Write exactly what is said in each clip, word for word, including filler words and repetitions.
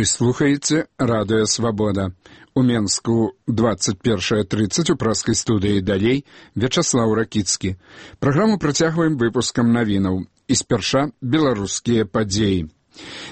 Вы слухаеце Радыё Свабода. У Менску двадцать першая тридцать у праскай студыі далей Вячаслаў Ракіцкі. Праграму працягваем выпускам навінаў. І спярша беларускія падзеі.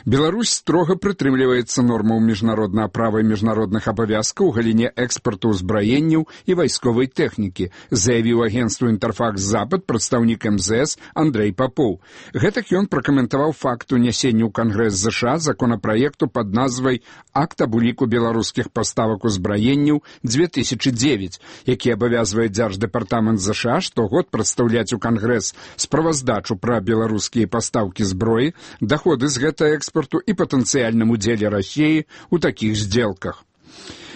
Беларусь строга прытрымліваецца нормаў міжнароднага права і міжнародных абавязкаў у галіне экспарту ўзбраенняў і вайсковай тэхнікі, заявіў агенцтву «Інтэрфакс-Запад» прадстаўнік эм зэ эс Андрэй Папоў. Гэтак ён пракаментаваў факт унясення ў Кангрэс ЗША законапраекту пад назвай «Акт аб уліку беларускіх паставак узбраенняў две тысячи девять», які абавязвае Дзярждэпартамент ЗША штогод прадстаўляць у Кангрэс справаздачу пра беларускія пастаўкі зброі, даходы з гэта экспорту і патэнцыяльным удзеле Расіі ў такіх здзелках.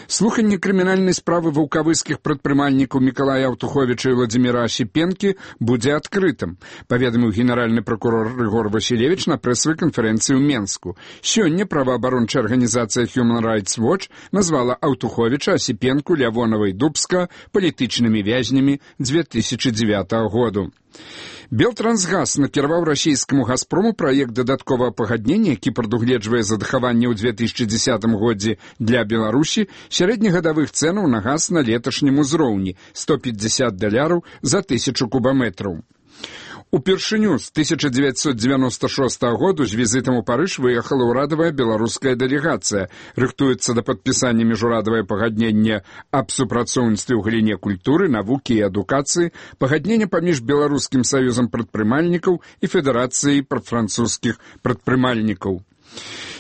Слуханне крымінальнай справы ваўкавыскіх прадпрымальнікаў Мікалая Аўтуховіча і Владзіміра Асіпенкі будзе адкрытым, паведаміў генеральны пракурор Рыгор Васілевіч на прэсавай канферэнцыі ў Менску. Сёння праваабарончая арганізацыя Human Rights Watch назвала Аўтуховіча, Асіпенку, Лявонова і Дубска палітычнымі вязнямі две тысячи девятого году. Белтрансгаз накіраваў расійскаму «Газпрому» праект дадатковага пагаднення, які прадугледжвае задахаванне ў две тысячи десятым годзе для Беларусі сярэднегадавых цэнаў на газ на леташнім узроўні сто пятьдесят даляраў за тысячу кубаметраў. Упершыню з тысяча девятьсот девяносто шестого году з візітам у Парыж выехала ўрадавая беларуская дэлегацыя. Рыхтуецца да падпісання міжурадавае пагадненне аб супрацоўніцтве ў галіне культуры, навукі і адукацыі, пагадненне паміж Беларускім саюзам прадпрымальнікаў і Федэрацыяй французскіх прадпрымальнікаў.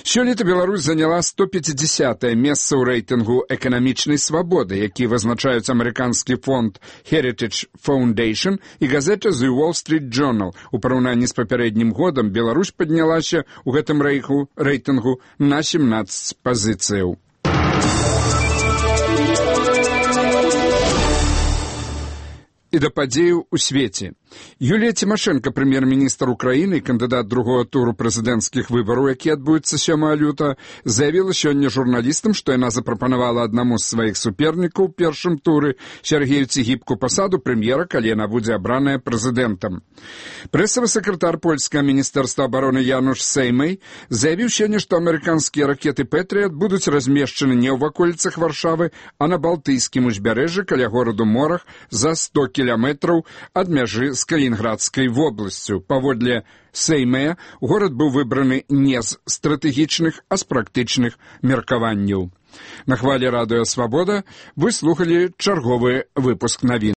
Сёлета Беларусь заняла сто пятидесятое месца ў рэйтынгу эканамічнай свабоды, які вызначаюць амерыканскі фонд Heritage Foundation і газета The Wall Street Journal. У параўнанні з папярэднім годам Беларусь паднялася ў гэтым рэйху, рэйтынгу на семнадцать пазіцыяў. І да падзеяў у свеце. Юлія Цімашэнка, прэм'ер-міністр Украіны і кандыдат другого туру прэзідэнцкіх выбараў, які адбудуцца сёмага лютага, заявіла сёння журналістам, што яна запрапанавала аднаму з сваіх супернікаў у першым туры Сергею Цігіпку пасаду прэм'ера, калі яна будзе абраная прэзідэнтам. Прэсавы сакратар польскага міністэрства абароны Януш Сеймэй заявіў сёння, што амерыканскія ракеты «Пэтрыят» будуць размешчаны не ў ваколіцах Варшавы, а на Балтыйскім узбярэжжы каля гораду Морах за сто кіламетраў ад мяжы з Калінінградскай вобласцю. Паводле Сеймэя, горад быў выбраны не з стратэгічных, а з практычных меркаванняў. На хвалі Радыё Свабода вы слухалі чарговы выпуск навін.